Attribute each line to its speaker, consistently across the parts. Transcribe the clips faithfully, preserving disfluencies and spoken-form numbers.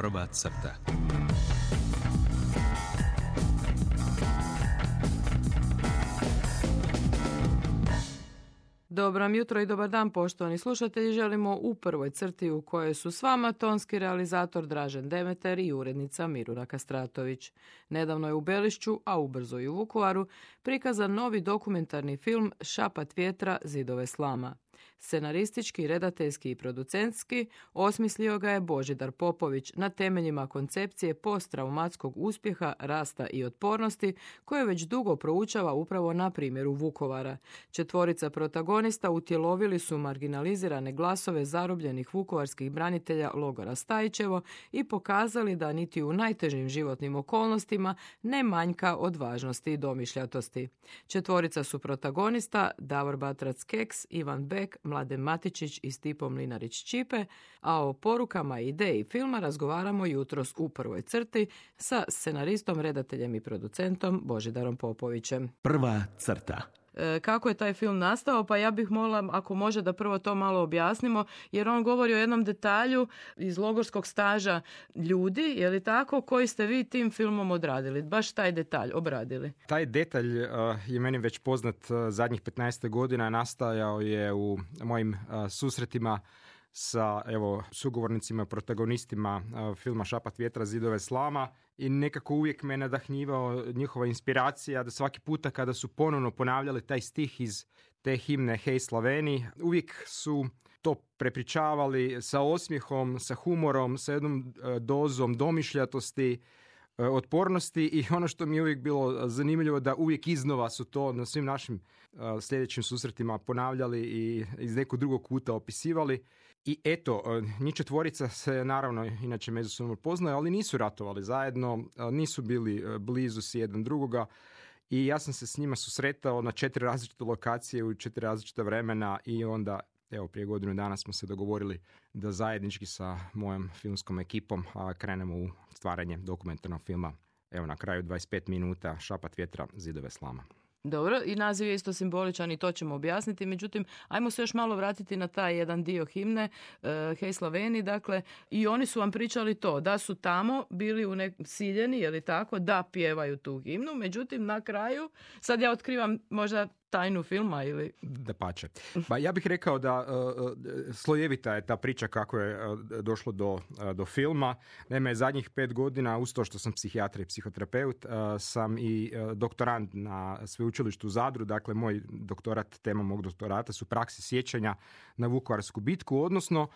Speaker 1: Prva crta.
Speaker 2: Dobro vam jutro i dobar dan, poštovani slušatelji. Želimo u prvoj crti u kojoj su s vama tonski realizator Dražen Demeter i urednica Miruna Kastratović. Nedavno je u Belišću, a ubrzo i u Vukovaru, prikazan novi dokumentarni film Šapat vjetra, zidove slama. Scenaristički, redateljski i producentski osmislio ga je Božidar Popović na temeljima koncepcije posttraumatskog uspjeha, rasta i otpornosti koje već dugo proučava upravo na primjeru Vukovara. Četvorica protagonista utjelovili su marginalizirane glasove zarobljenih vukovarskih branitelja logora Stajićevo i pokazali da niti u najtežim životnim okolnostima ne manjka od važnosti i domišljatosti. Četvorica su protagonista Davor Batrac-Keks, Ivan Bek, Mladen Matičić i Stipo Mlinarić-Čipe, a o porukama i ideji filma razgovaramo jutros u prvoj crti sa scenaristom, redateljem i producentom Božidarom Popovićem.
Speaker 1: Prva crta.
Speaker 2: Kako je taj film nastao? Pa ja bih molila, ako može, da prvo to malo objasnimo, jer on govori o jednom detalju iz logorskog staža ljudi, je li tako, koji ste vi tim filmom odradili? Baš taj detalj obradili.
Speaker 3: Taj detalj uh, je meni već poznat uh, zadnjih petnaest godina. Nastajao je u mojim uh, susretima sa evo sugovornicima, protagonistima uh, filma Šapat vjetra, zidove slama, i nekako uvijek me nadahnjivao njihova inspiracija da svaki puta kada su ponovno ponavljali taj stih iz te himne Hej Slaveni, uvijek su to prepričavali sa osmijehom, sa humorom, sa jednom uh, dozom domišljatosti, uh, otpornosti, i ono što mi je uvijek bilo zanimljivo da uvijek iznova su to na svim našim uh, sljedećim susretima ponavljali i iz nekog drugog kuta opisivali. I eto, njih četvorica se naravno inače međusobno poznaju, ali nisu ratovali zajedno, nisu bili blizu si jedan drugoga, i ja sam se s njima susretao na četiri različite lokacije u četiri različita vremena, i onda evo prije godinu dana smo se dogovorili da zajednički sa mojom filmskom ekipom krenemo u stvaranje dokumentarnog filma. Evo na kraju dvadeset pet minuta Šapat vjetra, zidove slama.
Speaker 2: Dobro, i naziv je isto simboličan i to ćemo objasniti, međutim, ajmo se još malo vratiti na taj jedan dio himne, uh, Hej Slaveni, dakle, i oni su vam pričali to, da su tamo bili u nek- siljeni, je li tako, da pjevaju tu himnu, međutim, na kraju, sad ja otkrivam možda tajnu filma ili...
Speaker 3: Da pače. Ba, ja bih rekao da uh, slojevita je ta priča kako je uh, došlo do, uh, do filma. Naime, zadnjih pet godina, uz to što sam psihijatra i psihoterapeut, uh, sam i uh, doktorant na sveučilištu u Zadru. Dakle, moj doktorat, tema mog doktorata su prakse sjećanja na Vukovarsku bitku, odnosno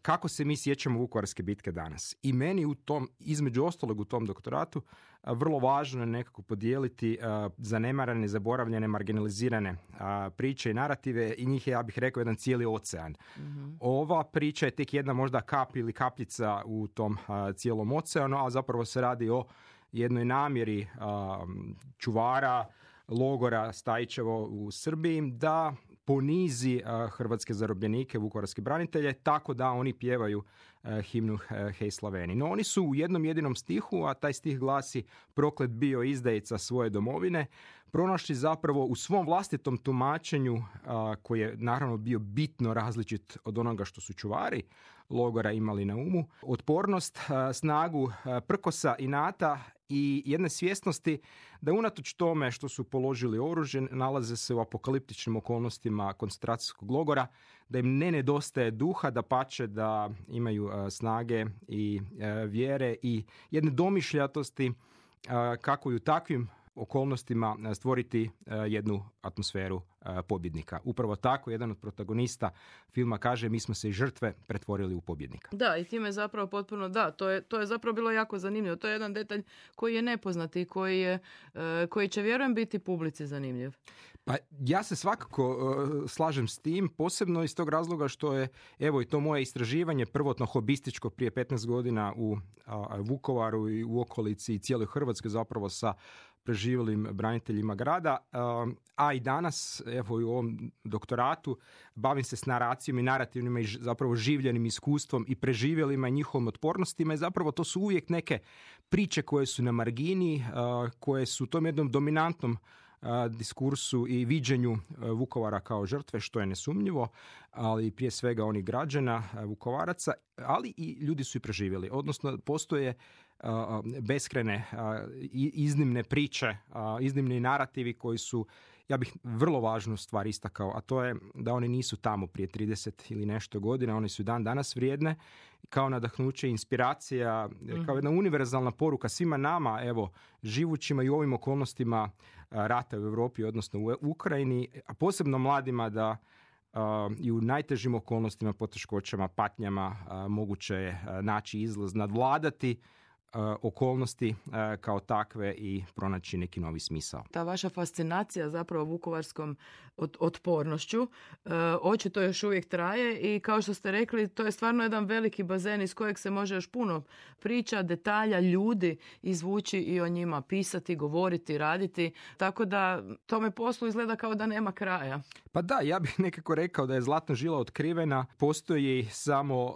Speaker 3: kako se mi sjećamo Vukovarske bitke danas. I meni u tom, između ostalog u tom doktoratu, vrlo važno je nekako podijeliti uh, zanemarane, zaboravljene, marginalizirane uh, priče i narative, i njih je, ja bih rekao, jedan cijeli ocean. Mm-hmm. Ova priča je tek jedna možda kap ili kapljica u tom uh, cijelom oceanu, a zapravo se radi o jednoj namjeri uh, čuvara logora Stajićevo u Srbiji da ponizi uh, hrvatske zarobljenike, vukovarske branitelje, tako da oni pjevaju uh, himnu uh, Hej Slaveni. No oni su u jednom jedinom stihu, a taj stih glasi proklet bio izdajica svoje domovine, pronašli zapravo u svom vlastitom tumačenju, uh, koji je naravno bio bitno različit od onoga što su čuvari logora imali na umu, otpornost, uh, snagu uh, prkosa, inata i jedne svjesnosti da unatoč tome što su položili oružje, nalaze se u apokaliptičnim okolnostima koncentracijskog logora, da im ne nedostaje duha, da pače da imaju uh, snage i uh, vjere i jedne domišljatosti uh, kako i u takvim okolnostima stvoriti uh, jednu atmosferu uh, pobjednika. Upravo tako jedan od protagonista filma kaže: mi smo se iz žrtve pretvorili u pobjednika.
Speaker 2: Da, i time je zapravo potpuno, da, to je, to je zapravo bilo jako zanimljivo. To je jedan detalj koji je nepoznat i koji, je, uh, koji će, vjerujem, biti publici zanimljiv.
Speaker 3: Pa ja se svakako uh, slažem s tim, posebno iz tog razloga što je, evo, i to moje istraživanje prvotno hobističko prije petnaest godina u uh, Vukovaru i u okolici i cijeloj Hrvatskoj, zapravo sa preživjelim braniteljima grada, a i danas, evo i u ovom doktoratu, bavim se s naracijom i narativnima i zapravo življenim iskustvom i preživjelima i njihovim otpornostima, i zapravo to su uvijek neke priče koje su na margini, koje su u tom jednom dominantnom a, diskursu i viđenju a, Vukovara kao žrtve, što je nesumnjivo, ali prije svega onih građana, a, Vukovaraca, ali i ljudi su i preživjeli. Odnosno, postoje a, beskrene, a, iznimne priče, a, iznimni narativi koji su, ja bih vrlo važnu stvar istakao, a to je da oni nisu tamo prije trideset ili nešto godina, oni su dan danas vrijedne kao nadahnuće, inspiracija, mm-hmm. kao jedna univerzalna poruka svima nama, evo, živućima i u ovim okolnostima rata u Europi, odnosno u Ukrajini, a posebno mladima da uh, i u najtežim okolnostima, poteškoćama, patnjama uh, moguće je uh, naći izlaz, nadvladati okolnosti kao takve i pronaći neki novi smisao.
Speaker 2: Ta vaša fascinacija zapravo vukovarskom otpornošću očito još uvijek traje i kao što ste rekli, to je stvarno jedan veliki bazen iz kojeg se može još puno priča, detalja, ljudi izvući i o njima pisati, govoriti, raditi. Tako da tome poslu izgleda kao da nema kraja.
Speaker 3: Pa da, ja bih nekako rekao da je zlatna žila otkrivena. Postoji samo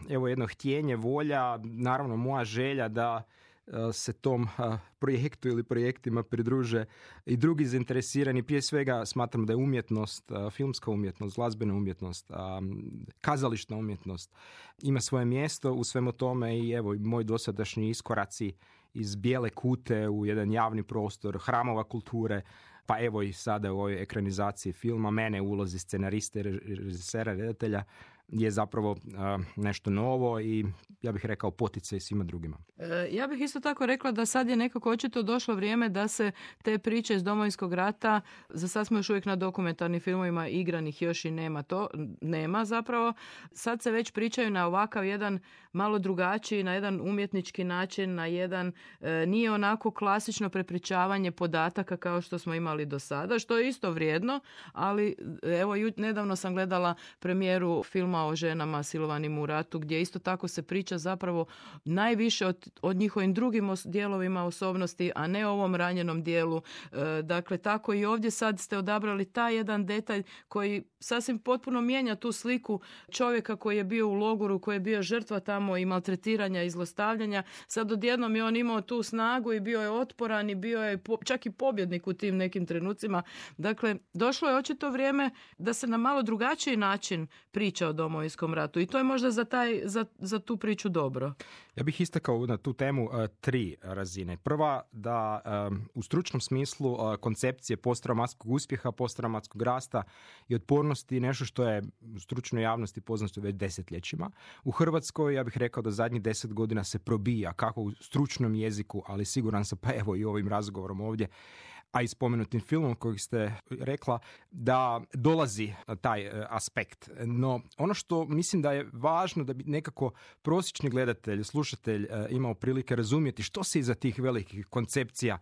Speaker 3: evo jedno htjenje, volja, naravno moja želja da se tom projektu ili projektima pridruže i drugi zainteresirani. Prije svega smatram da je umjetnost, filmska umjetnost, glazbena umjetnost, kazališna umjetnost ima svoje mjesto u svemu tome i evo moj dosadašnji iskoraci iz bijele kute u jedan javni prostor, hramova kulture, pa evo i sada u ovoj ekranizaciji filma, mene u ulozi scenariste, režisera, redatelja, je zapravo uh, nešto novo i ja bih rekao poticaj svima drugima.
Speaker 2: E, ja bih isto tako rekla da sad je nekako očito došlo vrijeme da se te priče iz Domovinskog rata, za sad smo još uvijek na dokumentarnim filmovima, igranih još i nema to, nema zapravo. Sad se već pričaju na ovakav jedan malo drugačiji, na jedan umjetnički način, na jedan, e, nije onako klasično prepričavanje podataka kao što smo imali do sada, što je isto vrijedno, ali evo nedavno sam gledala premijeru filma o ženama silovanim u ratu, gdje isto tako se priča zapravo najviše od, od njihovim drugim os- dijelovima osobnosti, a ne ovom ranjenom dijelu. E, dakle, tako i ovdje sad ste odabrali taj jedan detalj koji sasvim potpuno mijenja tu sliku čovjeka koji je bio u logoru, koji je bio žrtva tamo i maltretiranja i zlostavljanja. Sad odjednom je on imao tu snagu i bio je otporan i bio je po, čak i pobjednik u tim nekim trenucima. Dakle, došlo je očito vrijeme da se na malo drugačiji način priča o Domovinskom ratu i to je možda za, taj, za, za tu priču dobro.
Speaker 3: Ja bih istakao na tu temu uh, tri razine. Prva, da um, u stručnom smislu uh, koncepcije posttraumatskog uspjeha, posttraumatskog rasta i otpornosti nešto što je u stručnoj javnosti poznato već desetljećima. U Hrvatskoj ja bih rekao da zadnjih deset godina se probija kako u stručnom jeziku, ali siguran sam pa evo i ovim razgovorom ovdje, a i spomenutim filmom kojeg ste rekla, da dolazi taj aspekt. No, ono što mislim da je važno da bi nekako prosječni gledatelj, slušatelj imao prilike razumjeti što se iza tih velikih koncepcija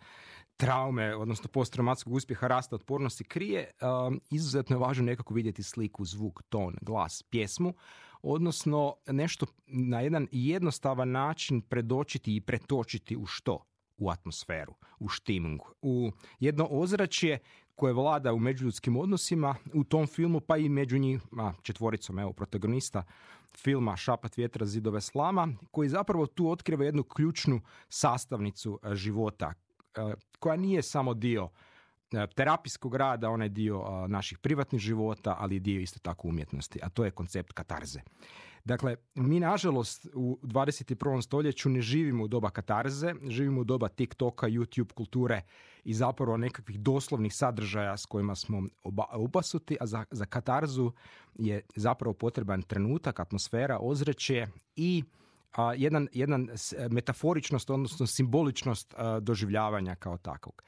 Speaker 3: traume, odnosno posttraumatskog uspjeha, rasta, otpornosti krije, um, izuzetno je važno nekako vidjeti sliku, zvuk, ton, glas, pjesmu, odnosno nešto na jedan jednostavan način predočiti i pretočiti u što? U atmosferu, u štimungu, u jedno ozračje koje vlada u međuljudskim odnosima u tom filmu, pa i među njima četvoricom, evo, protagonista filma Šapat vjetra, zidove slama, koji zapravo tu otkriva jednu ključnu sastavnicu života, koja nije samo dio terapijskog rada, onaj dio naših privatnih života, ali je dio isto tako umjetnosti, a to je koncept katarze. Dakle, mi nažalost u dvadeset prvom stoljeću ne živimo u doba katarze, živimo u doba TikToka, YouTube kulture i zapravo nekakvih doslovnih sadržaja s kojima smo obasuti, a za, za katarzu je zapravo potreban trenutak, atmosfera, ozračje i a, jedan, jedan metaforičnost, odnosno simboličnost a, doživljavanja kao takvog.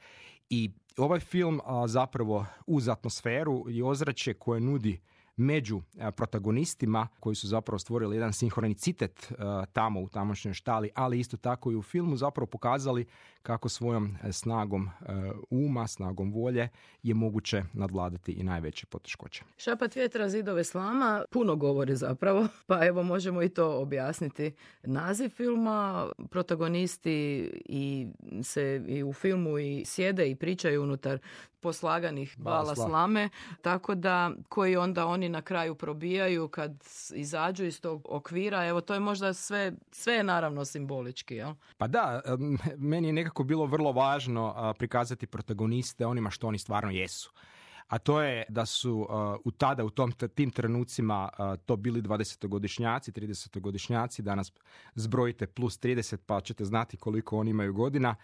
Speaker 3: I ovaj film a, zapravo uz atmosferu i ozračje koje nudi među protagonistima koji su zapravo stvorili jedan sinhronicitet uh, tamo u tamošnjoj štali, ali isto tako i u filmu zapravo pokazali kako svojom snagom uh, uma, snagom volje je moguće nadvladati i najveće poteškoće.
Speaker 2: Šapat vjetra, zidove slama puno govori zapravo, pa evo možemo i to objasniti. Naziv filma, protagonisti i se i u filmu i sjede i pričaju unutar poslaganih bala slame, tako da koji onda oni na kraju probijaju kad izađu iz tog okvira. Evo, to je možda sve, sve je naravno simbolički, jel?
Speaker 3: Pa da, meni je nekako nekako bilo vrlo važno a, prikazati protagoniste onima što oni stvarno jesu. A to je da su uh, u tada, u tom, tim trenucima uh, to bili dvadesetogodišnjaci, tridesetogodišnjaci, danas zbrojite plus trideset pa ćete znati koliko oni imaju godina.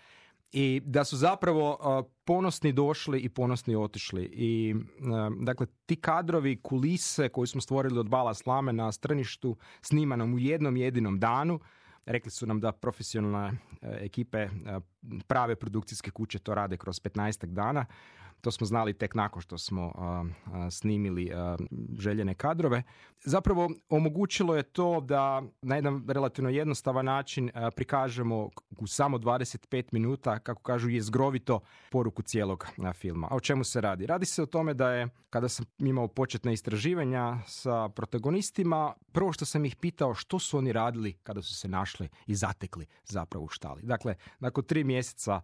Speaker 3: I da su zapravo uh, ponosni došli i ponosni otišli. I uh, dakle, ti kadrovi, kulise koji smo stvorili od Bala slame na Strništu, snimanom u jednom jedinom danu, rekli su nam da profesionalne uh, ekipe, uh, prave produkcijske kuće to rade kroz petnaestak dana. To smo znali tek nakon što smo uh, uh, snimili uh, željene kadrove. Zapravo omogućilo je to da na jedan relativno jednostavan način uh, prikažemo u samo dvadeset pet minuta, kako kažu, jezgrovito poruku cijelog uh, filma. A o čemu se radi? Radi se o tome da je, kada sam imao početna istraživanja sa protagonistima, prvo što sam ih pitao što su oni radili kada su se našli i zatekli zapravo u štali. Dakle, nakon tri mjeseca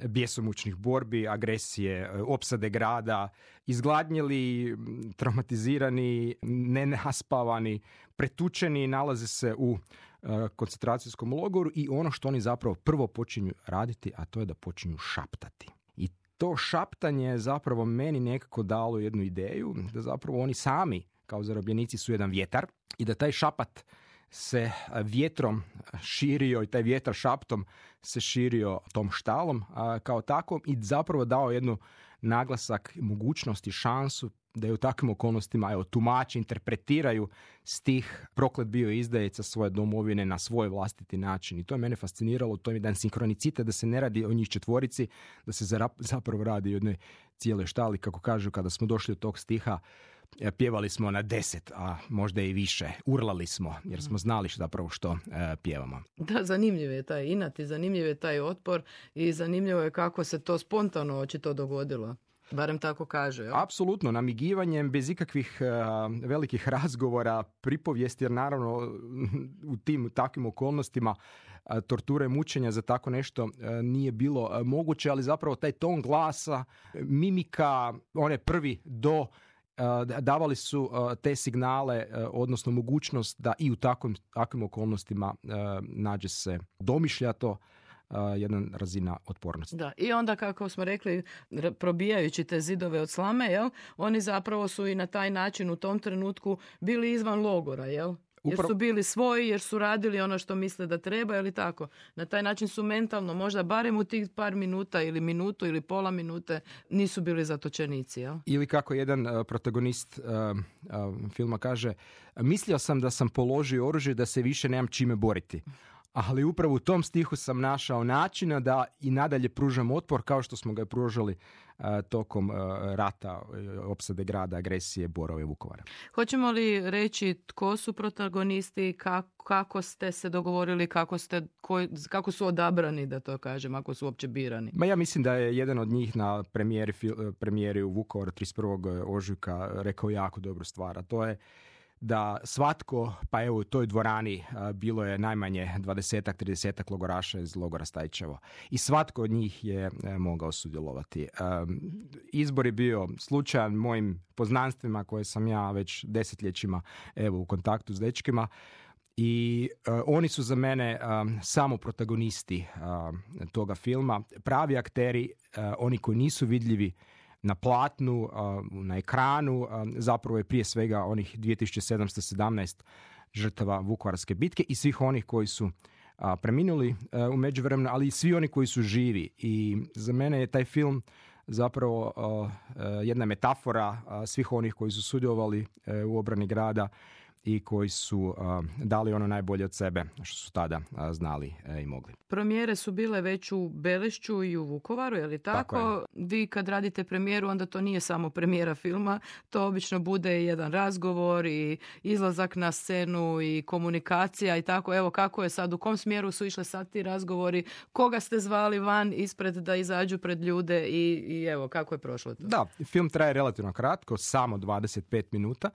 Speaker 3: bjesomučnih borbi, agresije, opsade grada, izgladnjeli, traumatizirani, nenaspavani, pretučeni, nalaze se u uh, koncentracijskom logoru i ono što oni zapravo prvo počinju raditi, a to je da počinju šaptati. I to šaptanje je zapravo meni nekako dalo jednu ideju da zapravo oni sami kao zarobljenici su jedan vjetar i da taj šapat se vjetrom širio i taj vjetar šaptom se širio tom štalom a, kao takvom i zapravo dao jednu naglasak, mogućnost i šansu da je u takvim okolnostima evo, tumači, interpretiraju stih proklet bio izdajica svoje domovine na svoj vlastiti način. I to je mene fasciniralo, to je jedan sinkronicitet, da se ne radi o njih četvorici, da se zapravo radi o jednoj cijeloj štali, kako kažu, kada smo došli do tog stiha, pjevali smo na deset, a možda i više. Urlali smo, jer smo znali zapravo što e, pjevamo.
Speaker 2: Da, zanimljiv je taj inat i zanimljiv je taj otpor i zanimljivo je kako se to spontano očito dogodilo. Barem tako kaže. Jel?
Speaker 3: Apsolutno, namigivanjem, bez ikakvih uh, velikih razgovora, pripovijesti, jer naravno u tim takvim okolnostima uh, torture, mučenja za tako nešto uh, nije bilo uh, moguće, ali zapravo taj ton glasa, mimika, one prvi do uh, davali su uh, te signale, uh, odnosno mogućnost da i u takvim, takvim okolnostima uh, nađe se domišljato Uh, jedna razina otpornosti.
Speaker 2: Da, i onda kako smo rekli, probijajući te zidove od slame, jel, oni zapravo su i na taj način u tom trenutku bili izvan logora, jel? Jer su bili svoji, jer su radili ono što misle da treba, ili tako. Na taj način su mentalno, možda barem u tih par minuta ili minutu ili pola minute nisu bili zatočenici, jel?
Speaker 3: Ili kako jedan uh, protagonist uh, uh, filma kaže, mislio sam da sam položio oružje da se više nemam čime boriti. Ali upravo u tom stihu sam našao načina da i nadalje pružam otpor kao što smo ga pružali uh, tokom uh, rata, uh, opsade grada, agresije, Borova i Vukovara.
Speaker 2: Hoćemo li reći tko su protagonisti, kako, kako ste se dogovorili, kako, ste, ko, kako su odabrani, da to kažem, ako su uopće birani?
Speaker 3: Ma ja mislim da je jedan od njih na premijeri, premijeri u Vukovaru trideset prvog ožujka rekao jako dobru stvar, a to je da svatko, pa evo u toj dvorani a, bilo je najmanje dvadesetak, tridesetak logoraša iz logora Stajčevo. I svatko od njih je e, mogao sudjelovati. E, izbor je bio slučajan mojim poznanstvima koje sam ja već desetljećima evo u kontaktu s dečkima. I uh, oni su za mene um, samo protagonisti uh, toga filma. Pravi akteri, uh, oni koji nisu vidljivi na platnu, na ekranu, zapravo je prije svega onih dvije tisuće sedamsto sedamnaest žrtava Vukovarske bitke i svih onih koji su preminuli u međuvremenu, ali i svi oni koji su živi. I za mene je taj film zapravo jedna metafora svih onih koji su sudjelovali u obrani grada i koji su uh, dali ono najbolje od sebe što su tada uh, znali uh, i mogli.
Speaker 2: Premijere su bile već u Belišću i u Vukovaru, je li tako? tako je. Vi kad radite premijeru, onda to nije samo premijera filma, to obično bude jedan razgovor i izlazak na scenu i komunikacija i tako. Evo kako je sad, u kom smjeru su išle sad ti razgovori, koga ste zvali van ispred da izađu pred ljude i, i evo kako je prošlo to?
Speaker 3: Da, film traje relativno kratko, samo dvadeset pet minuta.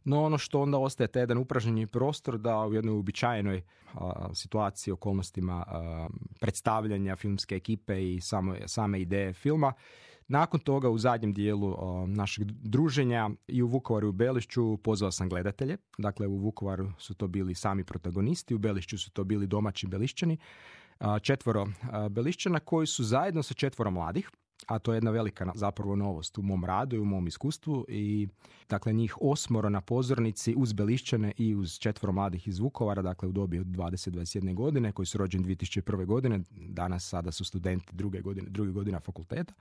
Speaker 3: No ono što onda ostaje taj jedan upražnjeni prostor da u jednoj uobičajenoj a, situaciji, okolnostima a, predstavljanja filmske ekipe i samo, same ideje filma. Nakon toga u zadnjem dijelu a, našeg druženja i u Vukovaru i u Belišću pozvao sam gledatelje. Dakle u Vukovaru su to bili sami protagonisti, u Belišću su to bili domaći Belišćani. četvoro Belišćana koji su zajedno sa četvoro mladih, a to je jedna velika zapravo novost u mom radu i u mom iskustvu, i dakle njih osmoro na pozornici uz Belišćane i uz četvoro mladih iz Vukovara, dakle u dobi od dvadeset do dvadeset jedne godine, koji su rođeni dvije tisuće prve. godine, danas sada su studenti druge godine, druge godina fakulteta.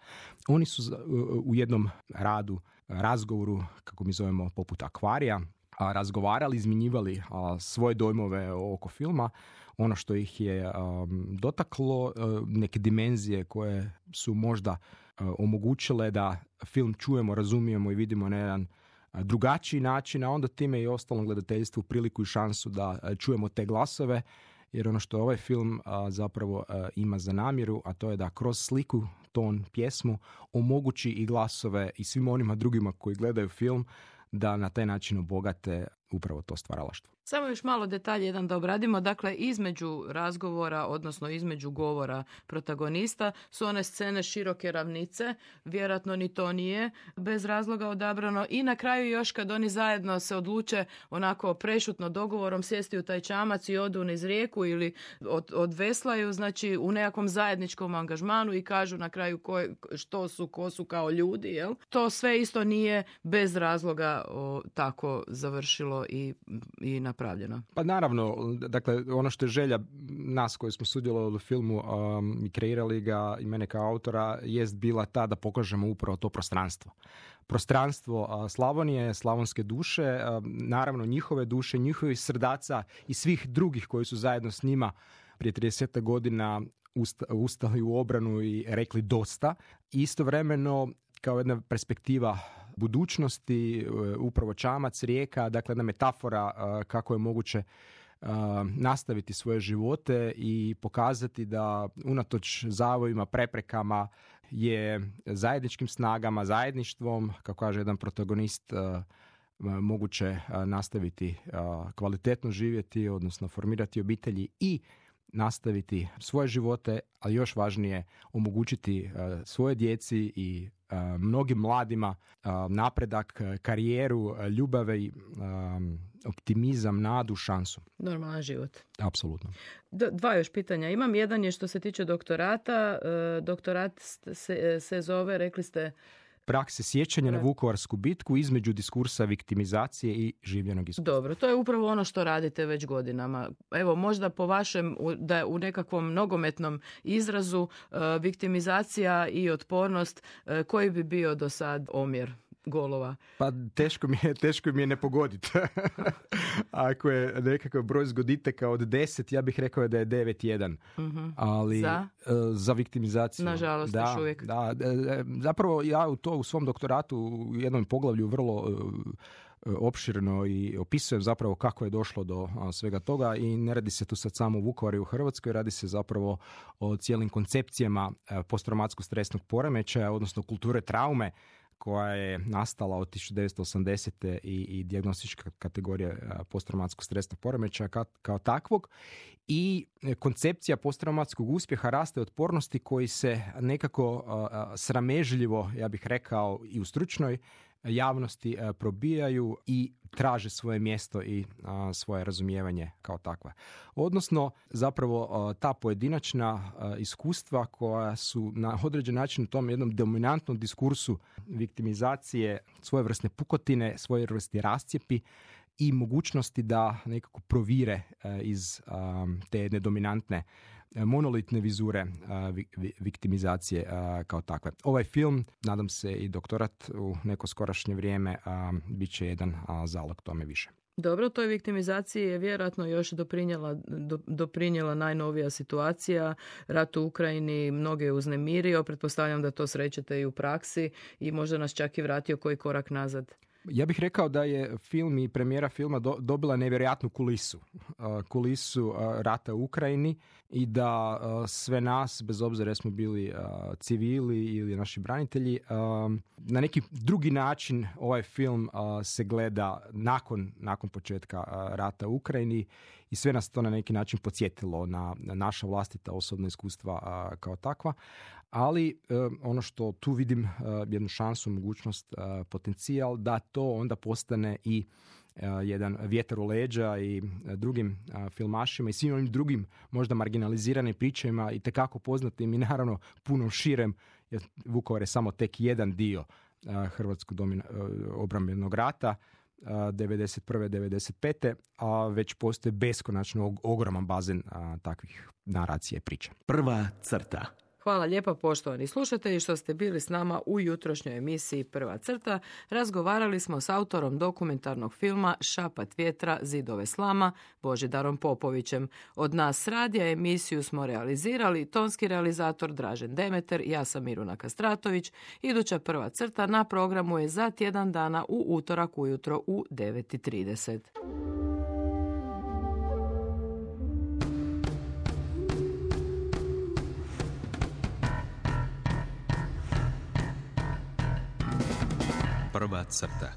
Speaker 3: Oni su u jednom radu, razgovoru, kako mi zovemo, poput akvarija, a, razgovarali, izmjenjivali a, svoje dojmove oko filma, ono što ih je um, dotaklo, uh, neke dimenzije koje su možda uh, omogućile da film čujemo, razumijemo i vidimo na jedan uh, drugačiji način, a onda time i ostalom gledateljstvu priliku i šansu da uh, čujemo te glasove, jer ono što ovaj film uh, zapravo uh, ima za namjeru, a to je da kroz sliku, ton, pjesmu omogući i glasove i svim onima drugima koji gledaju film da na taj način obogate upravo to stvaralaštvo.
Speaker 2: Samo još malo detalje jedan da obradimo. Dakle, između razgovora, odnosno između govora protagonista su one scene široke ravnice. Vjerojatno ni to nije bez razloga odabrano. I na kraju još kad oni zajedno se odluče onako prešutno dogovorom sjesti u taj čamac i odu niz rijeku ili od, odveslaju, znači u nekakvom zajedničkom angažmanu i kažu na kraju ko, što su, ko su kao ljudi. Jel? To sve isto nije bez razloga o, tako završilo i, i napravljeno.
Speaker 3: Pa naravno, dakle, ono što je želja nas koji smo sudjelovali u filmu um, i kreirali ga i mene kao autora jest bila ta da pokažemo upravo to prostranstvo. Prostranstvo uh, Slavonije, slavonske duše, uh, naravno njihove duše, njihovih srdaca i svih drugih koji su zajedno s njima prije trideset godina usta, ustali u obranu i rekli dosta. Istovremeno, kao jedna perspektiva budućnosti, upravo čamac, rijeka, dakle jedna metafora kako je moguće nastaviti svoje živote i pokazati da unatoč zavojima, preprekama je zajedničkim snagama, zajedništvom, kako kaže jedan protagonist, moguće nastaviti kvalitetno živjeti, odnosno formirati obitelji i nastaviti svoje živote, ali još važnije omogućiti svoje djeci i mnogim mladima napredak, karijeru, ljubave i optimizam, nadu, šansu.
Speaker 2: Normalan život.
Speaker 3: Apsolutno.
Speaker 2: D- dva još pitanja. Imam, jedan je što se tiče doktorata. Doktorat se, se zove, rekli ste,
Speaker 3: prakse sjećanja na Vukovarsku bitku između diskursa viktimizacije i življenog iskustva.
Speaker 2: Dobro, to je upravo ono što radite već godinama. Evo, možda po vašem, da u nekakvom nogometnom izrazu, viktimizacija i otpornost, koji bi bio do sad omjer golova?
Speaker 3: Pa teško mi je, teško mi je ne pogoditi. Ako je nekakav broj zgoditaka od deset, ja bih rekao da je devet jedan.
Speaker 2: Uh-huh.
Speaker 3: Ali
Speaker 2: za?
Speaker 3: za viktimizaciju.
Speaker 2: Nažalost,
Speaker 3: da,
Speaker 2: još uvijek.
Speaker 3: Da, zapravo ja u to u svom doktoratu u jednom poglavlju vrlo opširno i opisujem zapravo kako je došlo do svega toga i ne radi se tu sad samo u Vukovaru i u Hrvatskoj, radi se zapravo o cijelim koncepcijama posttraumatskog stresnog poremećaja, odnosno kulture traume, koja je nastala od tisuću devetsto osamdesete i, i dijagnostička kategorija posttraumatskog stresnog poremećaja kao, kao takvog. I koncepcija posttraumatskog uspjeha, raste otpornosti koji se nekako a, sramežljivo, ja bih rekao, i u stručnoj javnosti a, probijaju i traže svoje mjesto i a, svoje razumijevanje kao takva. Odnosno, zapravo a, ta pojedinačna a, iskustva koja su na određen način u tom jednom dominantnom diskursu viktimizacije, svojevrsne pukotine, svojevrsni rascijepi i mogućnosti da nekako provire a, iz a, te jedne dominantne monolitne vizure a, vi, vi, viktimizacije a, kao takve. Ovaj film, nadam se i doktorat u neko skorašnje vrijeme, a, bit će jedan a, zalog tome više.
Speaker 2: Dobro, toj viktimizaciji je vjerojatno još doprinjela, do, doprinjela najnovija situacija. Rat u Ukrajini mnoge je uznemirio. Pretpostavljam da to srećete i u praksi i možda nas čak i vratio koji korak nazad.
Speaker 3: Ja bih rekao da je film i premijera filma do, dobila nevjerojatnu kulisu. Uh, kulisu uh, rata u Ukrajini i da uh, sve nas, bez obzira smo bili uh, civili ili naši branitelji, uh, na neki drugi način ovaj film uh, se gleda nakon, nakon početka uh, rata u Ukrajini i sve nas to na neki način podsjetilo na, na naša vlastita osobna iskustva uh, kao takva. Ali uh, ono što tu vidim uh, jednu šansu, mogućnost, uh, potencijal da to onda postane i jedan vjetar u leđa i drugim filmašima i svim ovim drugim možda marginaliziranim pričama i tekako poznatim i naravno puno širem, jer Vukovar je samo tek jedan dio hrvatskog domina, obrambenog rata devedeset prve devedeset pete a već postoji beskonačno ogroman bazen a, takvih naracija i priča.
Speaker 1: Prva crta.
Speaker 2: Hvala lijepa poštovani slušatelji što ste bili s nama u jutrošnjoj emisiji Prva crta. Razgovarali smo s autorom dokumentarnog filma Šapat vjetra, zidove slama, Božidarom Popovićem. Od nas s radija emisiju smo realizirali tonski realizator Dražen Demeter, ja sam Miruna Kastratović. Iduća Prva crta na programu je za tjedan dana u utorak ujutro u devet i trideset.
Speaker 1: Prva crta.